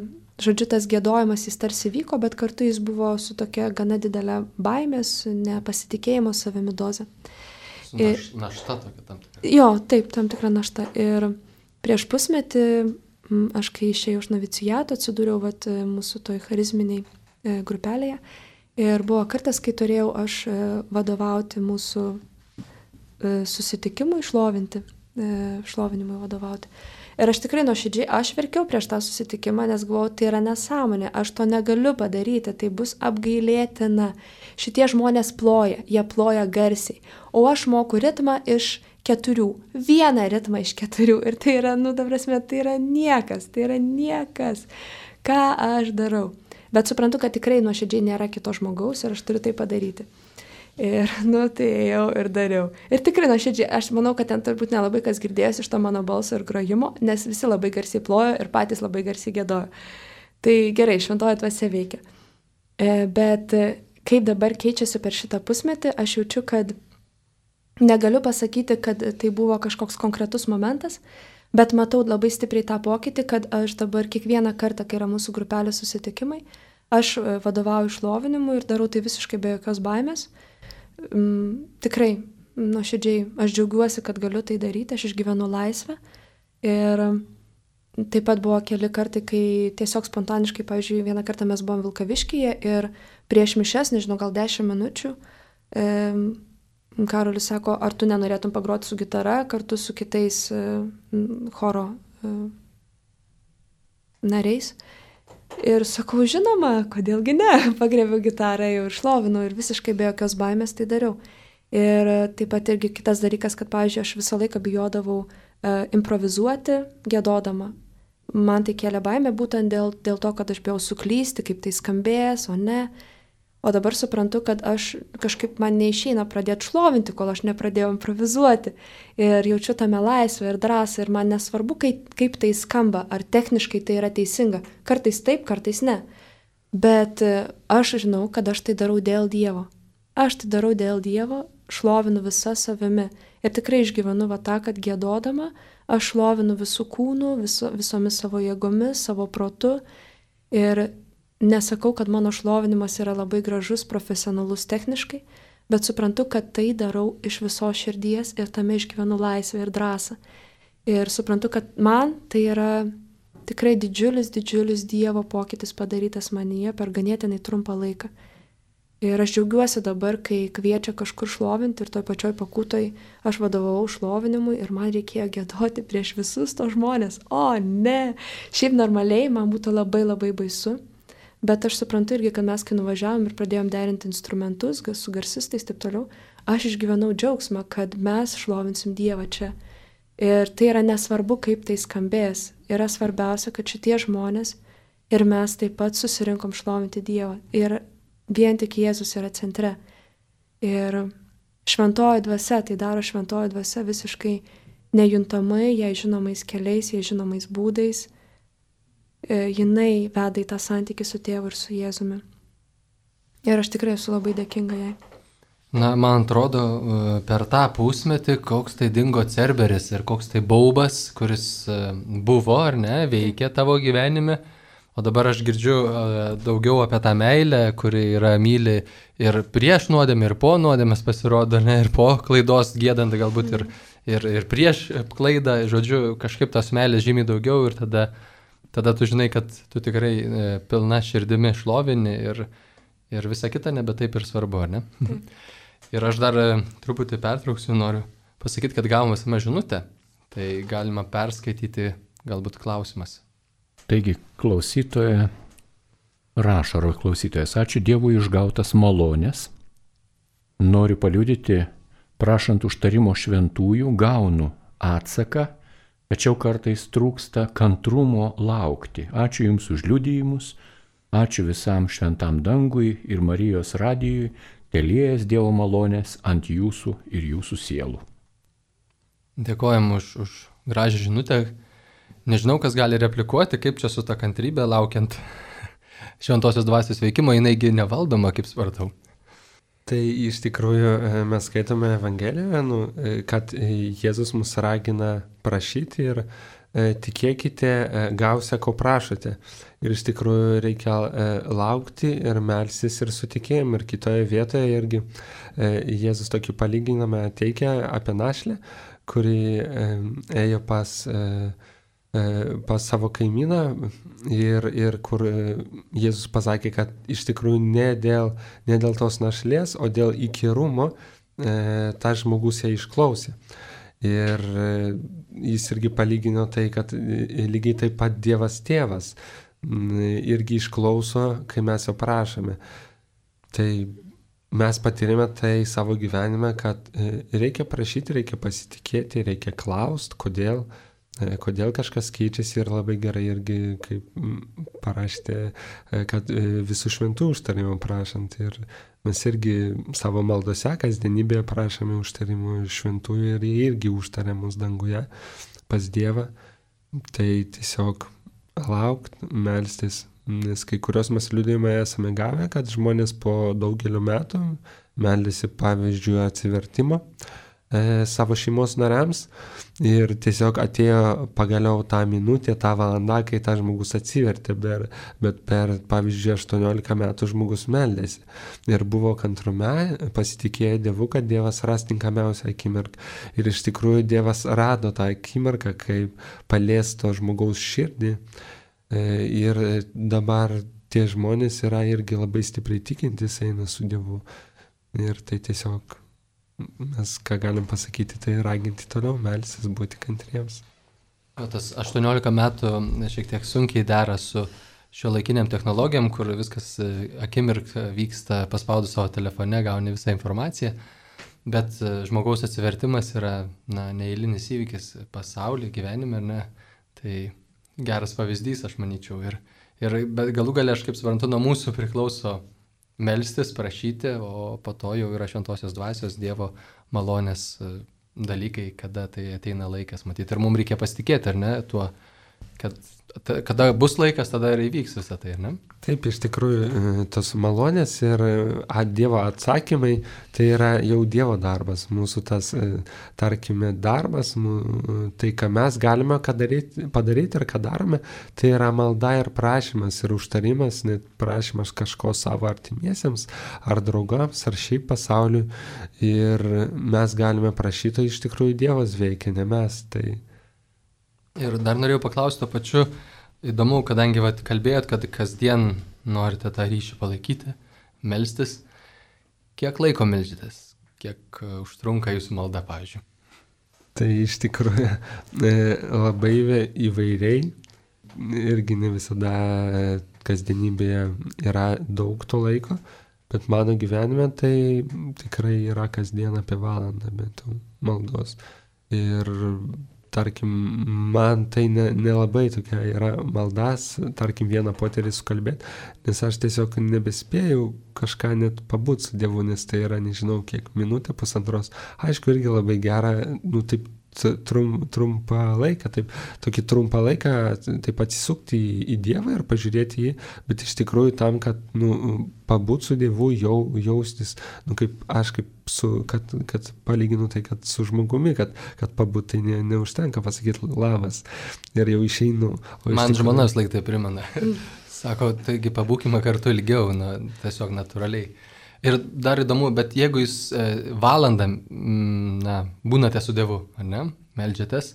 žodžiu, tas gėdojimas jis tarsi vyko, bet kartu jis buvo su tokia gana didelė baimės, nepasitikėjimo savimi doze. Naš, našta tokia tam tikra. Jo, taip, tam tikra našta. Ir prieš pusmetį, aš kai išėjau iš noviciato, atsidūriau vat, mūsų toj charizminiai grupelėje ir buvo kartas, kai turėjau aš vadovauti mūsų susitikimui, šlovinti, šlovinimui vadovauti. Ir aš tikrai nuoširdžiai, aš verkiau prieš tą susitikimą, nes galvojau, tai yra nesąmonė, aš to negaliu padaryti, tai bus apgailėtina. Šitie žmonės ploja, jie ploja garsiai, o aš moku ritmą iš keturių, vieną ritmą iš keturių ir tai yra, nu, ta prasme, tai yra niekas, tai yra niekas, ką aš darau. Bet suprantu, kad tikrai nuoširdžiai nėra kito žmogaus ir aš turiu tai padaryti. Ir, nu, tai ėjau ir dariau. Ir tikrai nuoširdžiai, aš manau, kad ten turbūt nelabai kas girdėjęs iš to mano balso ir grojimo, nes visi labai garsiai plojo ir patys labai garsiai gėdojo. Tai gerai, šventoji dvasia veikia. Bet kaip dabar keičiasi per šitą pusmetį, aš jaučiu, kad negaliu pasakyti, kad tai buvo kažkoks konkretus momentas, bet matau labai stipriai tą pokytį, kad aš dabar kiekvieną kartą, kai yra mūsų grupelės susitikimai, aš vadovauju šlovinimui ir darau tai visiškai be jokios baimės. Mm, tikrai, nuoširdžiai, aš džiaugiuosi, kad galiu tai daryti, aš išgyvenu laisvę. Ir taip pat buvo keli kartai, kai tiesiog spontaniškai, pavyzdžiui, vieną kartą mes buvom Vilkaviškyje ir prieš mišes, nežinau, gal dešimt minučių, e, Karolis sako, ar tu nenorėtum pagroti su gitara kartu su kitais choro nariais. Ir sakau, žinoma, kodėlgi ne, pagrėbiau gitarą jau ir šlovinau ir visiškai be jokios baimės tai dariau. Ir taip pat irgi kitas dalykas, kad, pavyzdžiui, aš visą laiką bijodavau uh, improvizuoti, giedodama. Man tai kėlė baimę būtent dėl, dėl to, kad aš bijau suklysti, kaip tai skambės, o ne. O dabar suprantu, kad aš kažkaip man neišeina pradėti šlovinti, kol aš nepradėjau improvizuoti. Ir jaučiu tame laisvę ir drąsą ir man nesvarbu, kaip, kaip tai skamba, ar techniškai tai yra teisinga. Kartais taip, kartais ne. Bet aš žinau, kad aš tai darau dėl Dievo. Aš tai darau dėl Dievo, šlovinu visą savimi. Ir tikrai išgyvenu va tą, kad giedodama, aš šlovinu visų kūnų, viso, visomis savo jėgomis, savo protu. Ir nesakau, kad mano šlovinimas yra labai gražus, profesionalus techniškai, bet suprantu, kad tai darau iš visos širdies ir tame išgyvenu laisvę ir drąsą. Ir suprantu, kad man tai yra tikrai didžiulis, didžiulis Dievo pokytis padarytas manyje per ganėtinai trumpą laiką. Ir aš džiaugiuosi dabar, kai kviečia kažkur šlovinti ir toj pačioj pakūtoj aš vadovavau šlovinimui ir man reikėjo giedoti prieš visus to žmonės. O ne, šiaip normaliai man būtų labai labai baisu. Bet aš suprantu irgi, kad mes kai nuvažiavom ir pradėjom derinti instrumentus su garsistais taip toliau, aš išgyvenau džiaugsmą, kad mes šlovinsim Dievą čia. Ir tai yra nesvarbu, kaip tai skambės. Yra svarbiausia, kad šitie žmonės ir mes taip pat susirinkom šlovinti Dievą. Ir vien tik Jėzus yra centre. Ir šventoji dvasia, tai daro šventoji dvasia visiškai nejuntamai, jai žinomais keliais, jai žinomais būdais. Jinai veda į tą santykį su tėvu ir su Jėzumi. Ir aš tikrai esu labai dėkinga jai. Na, man atrodo, per tą pusmetį, koks tai dingo Cerberis ir koks tai baubas, kuris buvo ar ne, veikė tavo gyvenime. O dabar aš girdžiu daugiau apie tą meilę, kuri yra myli ir prieš nuodėmę, ir po nuodėmės pasirodo, ne, ir po klaidos giedant galbūt ir, ir, ir prieš klaidą. Žodžiu, kažkaip tos meilės žymiai daugiau ir tada Tada tu žinai, kad tu tikrai e, pilna širdimi šlovini ir, ir visa kita nebe taip ir svarbu, ar ne? Taip. Ir aš dar e, truputį pertrauksiu, noriu pasakyti, kad gavome visame žinutę, tai galima perskaityti galbūt klausimas. Taigi, klausytoja rašo, ar klausytojas, ačiū Dievui išgautas malonės, noriu paliudyti, prašant užtarimo šventųjų, gaunu atsaką, tačiau kartais trūksta kantrumo laukti. Ačiū Jums už liudijimus, ačiū visam šventam dangui ir Marijos radijui, teliejas Dievo malonės ant Jūsų ir Jūsų sielų. Dėkojam už, už gražią žinutę. Nežinau, kas gali replikuoti, kaip čia su ta kantrybė laukiant šventosios dvasios veikimo, jinaigi nevaldoma, kaip supratau. Tai iš tikrųjų mes skaitome Evangelijoje, nu, kad Jėzus mus ragina prašyti ir tikėkite, gausia, ko prašote. Ir iš tikrųjų reikia laukti ir melstis ir su tikėjimu. Ir kitoje vietoje irgi Jėzus tokį palyginimą teikia apie našlę, kuri ėjo pas pas savo kaimyną ir, ir kur Jėzus pasakė, kad iš tikrųjų ne dėl, ne dėl tos našlės, o dėl įkyrumo e, tas žmogus ją išklausė. Ir e, jis irgi palygino tai, kad lygiai taip pat Dievas tėvas m, irgi išklauso, kai mes jo prašome. Tai mes patyrėme tai savo gyvenime, kad e, reikia prašyti, reikia pasitikėti, reikia klausti, kodėl. Kodėl kažkas keičiasi ir labai gerai irgi, kaip parašėte, kad visų šventų užtarimų prašant. Ir mes irgi savo maldose kasdienybėje prašome užtarimų šventųjų ir jie irgi užtarė mus danguje pas Dievą. Tai tiesiog laukt, melstis. Nes kai kurios mes liudijimai esame gavę, kad žmonės po daugelio metų meldėsi pavyzdžiui atsivertimo savo šeimos nariams ir tiesiog atėjo pagaliau tą minutę, tą valandą, kai tą žmogus atsivertė, bet, bet per, pavyzdžiui, aštuoniolika metų žmogus meldėsi. Ir buvo kantrume, pasitikėjo Dievu, kad Dievas ras tinkamiausią akimirką. Ir iš tikrųjų Dievas rado tą akimirką, kaip palies to žmogaus širdį. Ir dabar tie žmonės yra irgi labai stipriai tikintys, eina su Dievu. Ir tai tiesiog mes ką galim pasakyti, tai raginti toliau melstis, būti kantriems. O tas aštuoniolika metų šiek tiek sunkiai dera su šio laikiniam technologijam, kur viskas akimirką vyksta, paspaudus savo telefone, gauni visą informaciją, bet žmogaus atsivertimas yra na, neeilinis įvykis pasaulyje, gyvenime, ne? Tai geras pavyzdys, aš manyčiau. Ir, ir bet galų gale, aš kaip suprantu, nuo mūsų priklauso melstis, prašyti, o po to jau yra šventosios dvasios Dievo malonės dalykai, kada tai ateina laikas, matyti. Ir mums reikia pasitikėti, ar ne, tuo, kad kada bus laikas, tada ir įvyks visą tai, ar ne? Taip, iš tikrųjų, tos malonės ir Dievo atsakymai, tai yra jau Dievo darbas. Mūsų tas, tarkime, darbas, tai, ką mes galime padaryti, padaryti ir ką darome, tai yra malda ir prašymas ir užtarimas, net prašymas kažko savo artimiesiems, ar draugams, ar šiaip pasauliui. Ir mes galime prašyti, iš tikrųjų Dievas veikia, ne mes. Tai... Ir dar norėjau paklausti to pačiu, įdomu, kadangi vat, kalbėjot, kad kasdien norite tą ryšį palaikyti, melstis, kiek laiko melžitės, kiek užtrunka jūsų malda, pavyzdžiui? Tai iš tikrųjų labai įvairiai, irgi ne visada kasdienybėje yra daug to laiko, bet mano gyvenime tai tikrai yra kasdien apie valandą bent maldos. Ir tarkim, man tai nelabai ne tokia yra maldas, tarkim, vieną poterį sukalbėti, nes aš tiesiog nebespėjau kažką net pabūt su Dievu, nes tai yra, nežinau, kiek minutė, pusantros. Aišku, irgi labai gera, nu taip, trum, trumpą laiką, taip, tokį trumpą laiką taip atsisukti į, į Dievą ir pažiūrėti jį, bet iš tikrųjų tam, kad nu, pabūt su Dievu, jau, jaustis, nu, kaip aš kaip su, kad, kad palyginu tai, kad su žmogumi, kad, kad pabūt tai ne, neužtenka pasakyti labas ir jau išeinu. Man tikrųjų... žmonas laik tai primena. Sako, taigi pabūkime kartu ilgiau, na, tiesiog natūraliai. Ir dar įdomu, bet jeigu jūs e, valandą na, būnate su Dievu, ar ne, meldžiatės,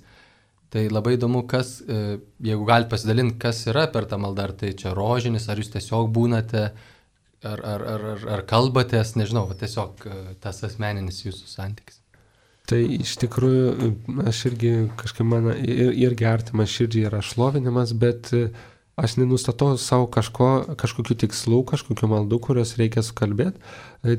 tai labai įdomu, kas, e, jeigu galite pasidalinti, kas yra per tą maldą, ar tai čia rožinis, ar jūs tiesiog būnate, ar, ar, ar, ar, ar kalbatės, nežinau, tiesiog e, tas asmeninis jūsų santykis. Tai iš tikrųjų, aš irgi kažkaip man irgi artimas širdžiai yra šlovinimas, bet aš nenustatau savo kažko, kažkokių tikslų, kažkokių maldų, kurios reikia sukalbėti.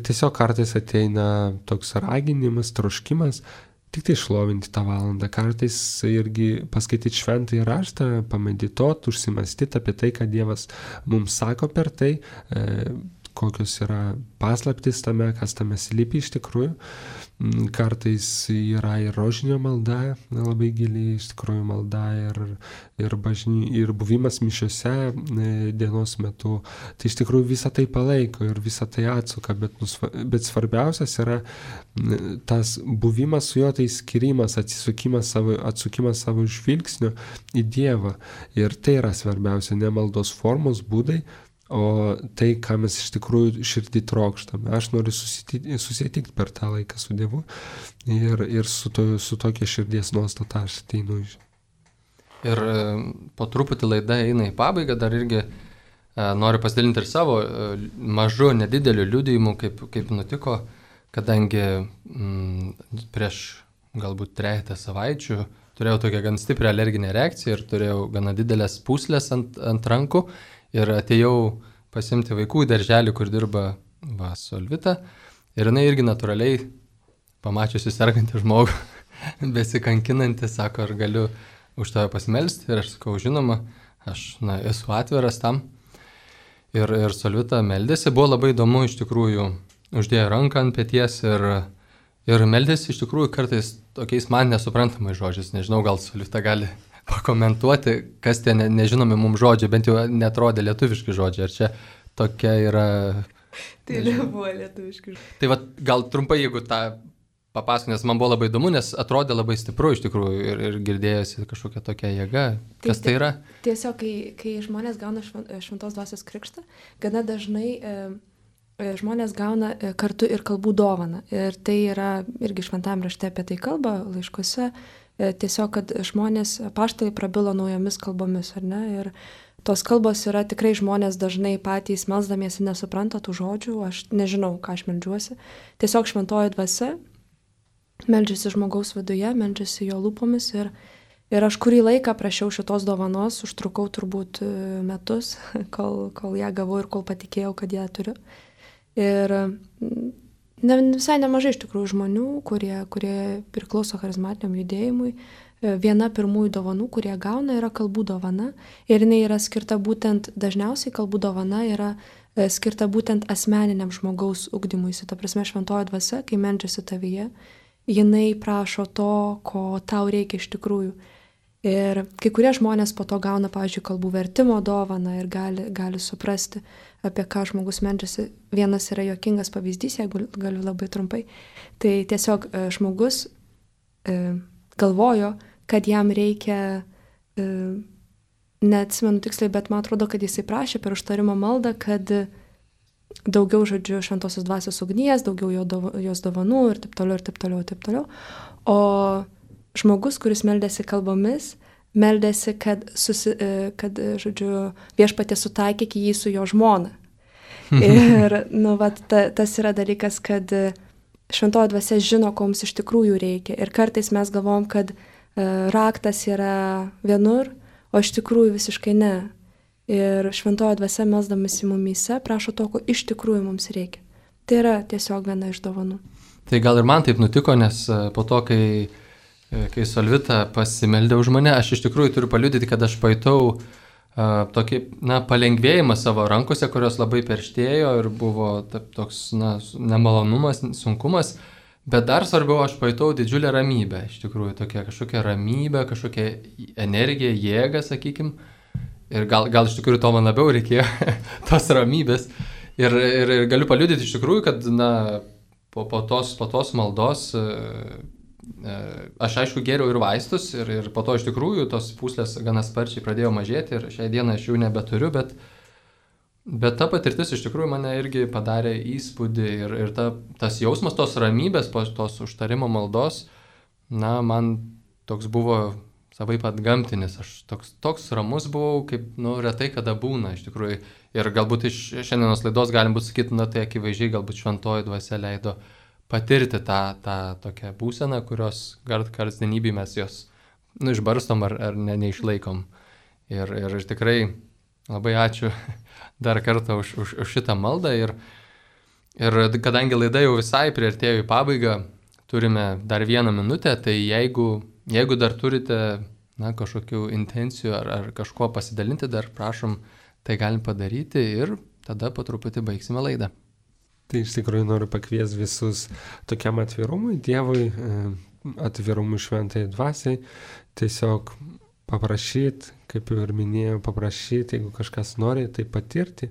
Tiesiog kartais ateina toks raginimas, troškimas, tik tai šlovinti tą valandą. Kartais irgi paskaityti šventąjį raštą, pamedituoti, užsimastyti apie tai, ką Dievas mums sako per tai, kokios yra paslaptis tame, kas tame slypi iš tikrųjų. Kartais yra ir rožinio malda, labai giliai iš tikrųjų malda ir, ir, bažny, ir buvimas mišiose dienos metu. Tai iš tikrųjų visą tai palaiko ir visą tai atsuka, bet, bet svarbiausias yra tas buvimas su juo, tai skirimas, atsisukimas savo, atsukimas savo žvilgsnio į Dievą. Ir tai yra svarbiausia, ne maldos formos, būdai, o tai, ką mes iš tikrųjų širdį trokštame. Aš noriu susitikti, susitikti per tą laiką su Dievu ir, ir su, to, su tokia širdies nuostata aš ateinu. Ir po truputį laida eina į pabaigą, dar irgi e, noriu pasidalinti ir savo e, mažu, nedideliu liudijimu, kaip, kaip nutiko, kadangi m, prieš galbūt trejata savaičių turėjau tokią gan stiprią alerginę reakciją ir turėjau gana didelės pūslės ant, ant rankų. Ir atėjau pasimti vaikų į darželį, kur dirba va, Solvita. Ir jinai irgi natūraliai, pamačiusi sergantį žmogų, besikankinantį, sako, ar galiu už tave pasimelsti. Ir aš sakau, žinoma, aš na, esu atviras tam. Ir, ir Solvita meldėsi. Buvo labai įdomu, iš tikrųjų, uždėjo ranką ant peties ir, ir meldėsi iš tikrųjų kartais tokiais man nesuprantamais žodžiais. Nežinau, gal Solvita gali pakomentuoti, kas tie ne, nežinomi mums žodžiai, bent jau netrodė lietuviški žodžiai, ar čia tokia yra... Tai nebuvo lietuviški žodžiai. Tai va, gal trumpai, jeigu tą papasakot, nes man buvo labai įdomu, nes atrodė labai stipru iš tikrųjų ir, ir girdėjosi kažkokia tokia jėga. Kas tai, tai yra? Tiesiog, kai, kai žmonės gauna šventos dvasios krikštą, gana dažnai e, žmonės gauna kartu ir kalbų dovaną. Ir tai yra irgi šventam rašte apie tai kalba, laiškuose. Tiesiog, kad žmonės, apaštalai prabilo naujomis kalbomis, ar ne? Ir tos kalbos yra tikrai žmonės dažnai patys melsdamiesi nesupranta tų žodžių, aš nežinau, ką aš meldžiuosi. Tiesiog šventoji dvasia meldžiasi žmogaus viduje, meldžiasi jo lūpomis ir, ir aš kurį laiką prašiau šitos dovanos, užtrukau turbūt metus, kol, kol ją gavau ir kol patikėjau, kad ją turiu. Ir ne, visai nemažai iš tikrųjų žmonių, kurie, kurie priklauso charizmatiniam judėjimui, viena pirmųjų dovanų, kurie gauna, yra kalbų dovana ir jinai yra skirta būtent, dažniausiai kalbų dovana yra skirta būtent asmeniniam žmogaus ugdymuisi. Ta prasme, šventoji dvasia, kai meldžiasi tavyje, jinai prašo to, ko tau reikia iš tikrųjų. Ir kai kurie žmonės po to gauna, pavyzdžiui, kalbų vertimo dovaną ir gali, gali suprasti, apie ką žmogus meldžiasi. Vienas yra juokingas pavyzdys, jeigu galiu labai trumpai. Tai tiesiog žmogus e, galvojo, kad jam reikia, e, neatsimenu tiksliai, bet man atrodo, kad jisai prašė per užtarimo maldą, kad daugiau, žodžiu, šventosios dvasios ugnies, daugiau jo dovo, jos dovanų ir taip toliau, ir taip toliau, ir taip toliau. O žmogus, kuris meldėsi kalbomis, meldėsi, kad, susi, kad žodžiu, viešpatė sutaikyk jį su jo žmona. Ir, nu, vat, ta, tas yra dalykas, kad šventoji dvasia žino, ko mums iš tikrųjų reikia. Ir kartais mes galvom, kad uh, raktas yra vienur, o iš tikrųjų visiškai ne. Ir šventoji dvasia melsdamasi mumyse prašo to, ko iš tikrųjų mums reikia. Tai yra tiesiog viena iš dovanų. Tai gal ir man taip nutiko, nes po to, kai, kai Solvita pasimeldė už mane, aš iš tikrųjų turiu paliudyti, kad aš pajutau uh, tokį, na, palengvėjimą savo rankose, kurios labai perštėjo ir buvo taip, toks, na, nemalonumas, sunkumas. Bet dar svarbiau, aš pajutau didžiulę ramybę, iš tikrųjų, tokia kažkokia ramybė, kažkokia energija, jėga, sakykim. Ir gal, gal iš tikrųjų to man labiau reikėjo, tos ramybės. Ir, ir, ir galiu paliudyti iš tikrųjų, kad, na, po, po, tos, po tos maldos e, e, aš aišku gėriau ir vaistus ir, ir po to iš tikrųjų tos pūslės gana sparčiai pradėjo mažėti ir šią dieną aš jų nebeturiu, bet Bet ta patirtis iš tikrųjų mane irgi padarė įspūdį ir, ir ta, tas jausmas tos ramybės, tos užtarimo maldos, na, man toks buvo savaip atgamtinis. Aš toks, toks ramus buvau, kaip, nu, retai kada būna iš tikrųjų. Ir galbūt iš šiandienos laidos galim būti sakyti, na, tai akivaizdžiai galbūt šventoji dvasia leido patirti tą, tą tokią būseną, kurios kasdienybėje mes jos, nu, išbarstom ar, ar ne, neišlaikom. Ir, ir tikrai labai ačiū dar kartą už, už, už šitą maldą ir, ir kadangi laida jau visai priartėjo į pabaigą, turime dar vieną minutę, tai jeigu, jeigu dar turite, na, kažkokių intencijų ar, ar kažko pasidalinti, dar prašom, tai galim padaryti ir tada po truputį baigsime laidą. Tai iš tikrųjų noriu pakviesti visus tokiam atvirumui, Dievui, atvirumui šventai dvasiai, tiesiog paprašyti, kaip jau ir minėjau, paprašyti, jeigu kažkas nori, tai patirti,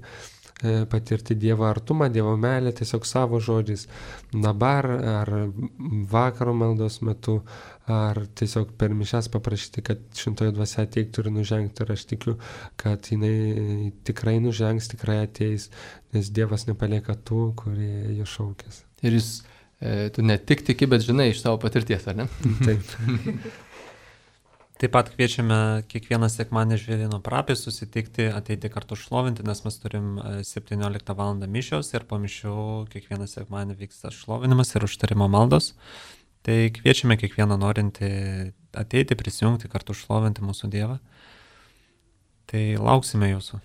patirti Dievo artumą, Dievo meilę tiesiog savo žodžiais, dabar ar vakaro maldos metu, ar tiesiog per mišias paprašyti, kad šventoji dvasia ateiktų ir nužengtų. Ir aš tikiu, kad jinai tikrai nužengs, tikrai ateis, nes Dievas nepalieka tų, kurie jo šaukės. Ir jis, e, tu ne tik tiki, bet žinai iš savo patirties, ar ne? Taip. Taip pat kviečiame kiekvieną sekmadienį Žvėryno parapijoj susitikti, ateiti kartu šlovinti, nes mes turim septynioliktą valandą mišios ir po mišių kiekvieną sekmadienį vyksta šlovinimas ir užtarimo maldos. Tai kviečiame kiekvieną norintį ateiti, prisijungti, kartu šlovinti mūsų Dievą. Tai lauksime jūsų.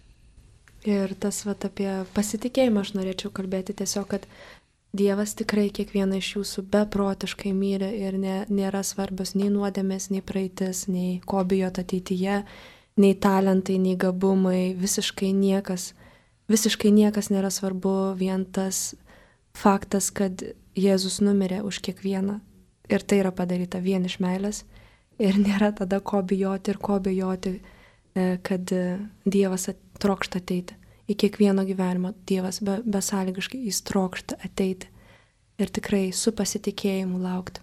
Ir tas vat, apie pasitikėjimą aš norėčiau kalbėti tiesiog, kad Dievas tikrai kiekvieną iš jūsų beprotiškai myli ir ne, nėra svarbios nei nuodėmės, nei praeitis, nei ko bijot ateityje, nei talentai, nei gabumai, visiškai niekas, visiškai niekas nėra svarbu, vien tas faktas, kad Jėzus numirė už kiekvieną ir tai yra padaryta vien iš meilės ir nėra tada ko bijoti ir ko bijoti, kad Dievas trokšta ateiti. Į kiekvieno gyvenimo Dievas be, besąlygiškai jis trokšta ateiti ir tikrai su pasitikėjimu laukti.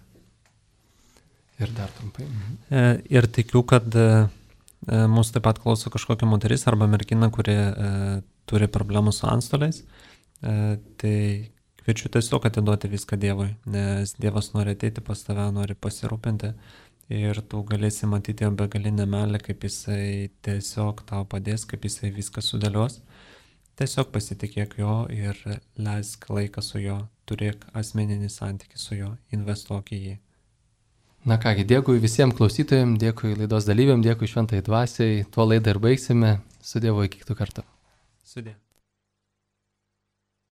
Ir dar trumpai. E, ir tikiu, kad e, mūsų taip pat klauso kažkokia moteris arba mergina, kuri e, turi problemų su antstoliais. E, tai kviečiu tiesiog atiduoti viską Dievui, nes Dievas nori ateiti pas tave, nori pasirūpinti ir tu galėsi matyti jo begalinę meilę, kaip jisai tiesiog tau padės, kaip jisai viską sudėlios. Tiesiog pasitikėk jo ir leisk laiką su juo, turėk asmeninį santykį su juo, investuok į jį Na kągi, dėkui visiems klausytojams, dėkui laidos dalyviam, dėkui šventai dvasiai. Tuo laidą ir baigsime. Su Dievu iki kitų kartų. Sudė.